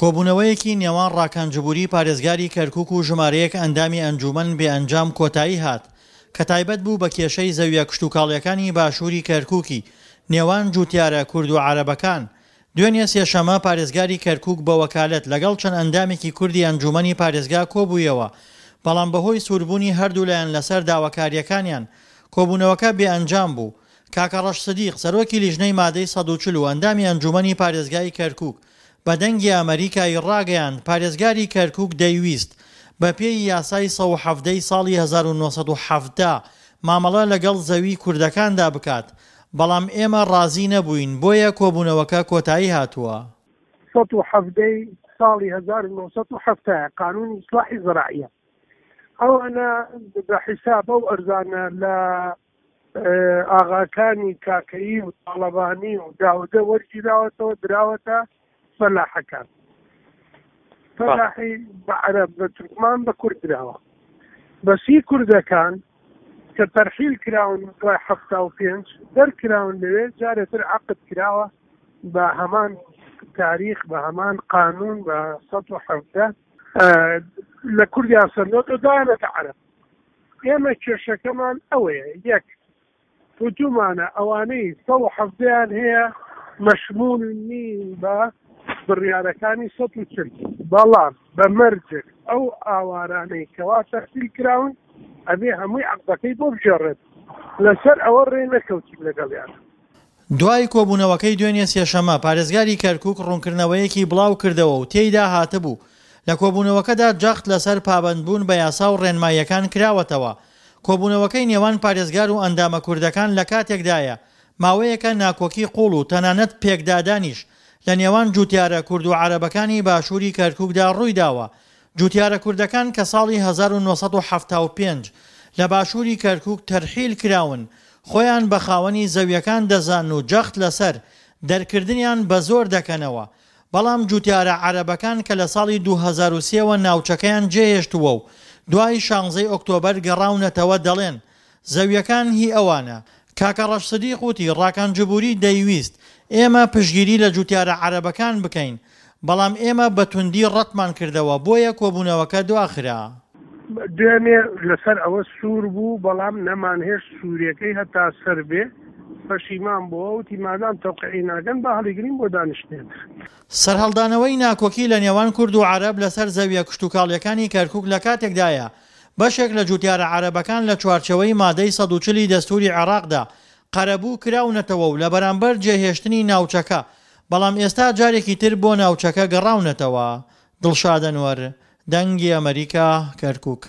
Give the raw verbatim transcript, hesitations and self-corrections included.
کۆبوونەوەیەکی نێوان ڕاکان جبوری پارێزگاری کەرکوک و ژمارەیەک ئەندامی ئەنجوومەن بێ ئەنجام کۆتایی هات کە تایبەت بوو بە کێشەی زەویە کشتوکاڵیەکانی باشووری کەرکوکی نێوان جوتیارە کورد و عەرەبەکان. دوێنێ سێشەمە پارێزگاری کەرکوک بە وەکالەت لەگەڵ چەند ئەندامێکی کوردی ئەنجوومەنی پارێزگا کۆبوویەوە، بەڵام بەهۆی سووربوونی هەردوولایان لەسەر داواکارییەکانیان کۆبوونەوەکە بێ ئەنجام بوو. کاکەڕەش سدیق، سەرۆکی لیژنەی مادەی سەد و چل و ئەندامی ئەنجوومەنی پارێزگای کەرکوک بە دەنگی ئەمەریکای ڕاگەیاند پارێزگاری کەرکوک دەیویست بەپێی یاسای سەد و حەڤدە ی ساڵی هەزار و نۆ سەد و حەفتا مامەڵە لەگەڵ زەوی کوردەکاندا بکات، بەڵام ئێمە ڕازی نەبووین بۆیە کۆبوونەوەکە کۆتایی هاتووە. سەد و حەڤدە ی ساڵی هەزار و نۆ سەد و حەفتا قانونی ئیسلاحی زراعیە ئەوانە بە حیساب ئەو ئەرزانە لە ئاغاکانی کاکەیی و تاڵەبانی و داودە وەرگیراوەتەوە دراوەتە فەلاحەکان، فەلاحی بە عەرەب بە تورکمان بە کورد دراوە، بەسی کوردەکان کە تەرحیل کراون دوای حەفتا و پێنج دەرکراون لەوێ، جارێتر عەقد کراوە بە هەمان تاریخ بە هەمان قانون بە سەد و حەڤدە لە کوردیان سەندۆتەوە داوەتە عەرەب. ئێمە کێشەکەمان ئەوەیە، یەک وتومانە ئەوانەی سەد و حەڤدەیان هەیە مەشمول نین بە بڕیارەکانی سەد و چل، بەڵام بە مەرجێک ئەو ئاوارانەی کەوا تەحویل کراون ئەبێ هەمووی عەقدەکەی بۆ بگێڕێت، لەسەر ئەوە ڕێ نەکەوتین لەگەڵیان. دوای کۆبوونەوەکەی دوێنێ سێشەممە، پارێزگاری کەرکوک ڕوونکردنەوەیەکی بڵاوکردەوە و تێیدا هاتبوو، لە کۆبوونەوەکەدا جەخت لەسەر پابەندبوون بە یاسا و ڕێنماییەکان کراوەتەوە. کۆبوونەوەکەی نێوان پارێزگار و ئەندامە کوردەکان لە کاتێکدایە، ماوەیەکە ناکۆکی قوڵ و تەنانەت پێکدادانیش لە نێوان جوتیارە کورد و عەرەبەکانی باشووری کەرکوکدا ڕوویداوە. جوتیارە کوردەکان کە ساڵی هەزار و نۆ سەد و حەفتا و پێنج لە باشووری کەرکوک تەرحیل کراون، خۆیان بە خاوەنی زەویەکان دەزانن و جەخت لەسەر دەرکردنیان بە زۆر دەکەنەوە. بەڵام جوتیارە عەرەبەکان کە لە ساڵی دوو هەزار و سێ وە ناوچەکەیان جێهێشتووە و دوای شانزەی ئۆکتۆبەر گەڕاونەتەوە دەڵێن زەویەکان هی ئەوانە. کاکە ڕەش سدیق وتی ڕاکان جبوری دەیویست ئێمە پشتگیری لە جوتیارە عەرەبەکان بکەین، بەڵام ئێمە بە توندی ڕەتمان کردەوە بۆیە کۆبوونەوەکە دواخرا. دوێنێ لەسەر ئەوە سوور بوو، بەڵام نەمانهێشت سووریەکەی هەتا سەر بێ، پەشیمان بۆوە، وتی مادام تەوقیعی ناکەن با هەڵیگرین بۆ دانیشتنێ تر. سەرهەڵدانەوەی ناکۆکی لە نێوان کورد و عەرەب لەسەر زەویە کشتوکاڵیەکانی کەرکوک لە کاتێکدایە بەشێک لە جوتیارە عەرەبەکان لە چوارچێوەی مادەی سەد و چل ی دەستوری عێراقدا قەرەبوو کراونەتەوە و لە بەرامبەر جێهێشتنی ناوچەکە، بەڵام ئێستا جارێکی تر بۆ ناوچەکە گەڕاونەتەوە. دڵشاد ئەنوەر، دەنگی ئەمەریکا، کەرکوک.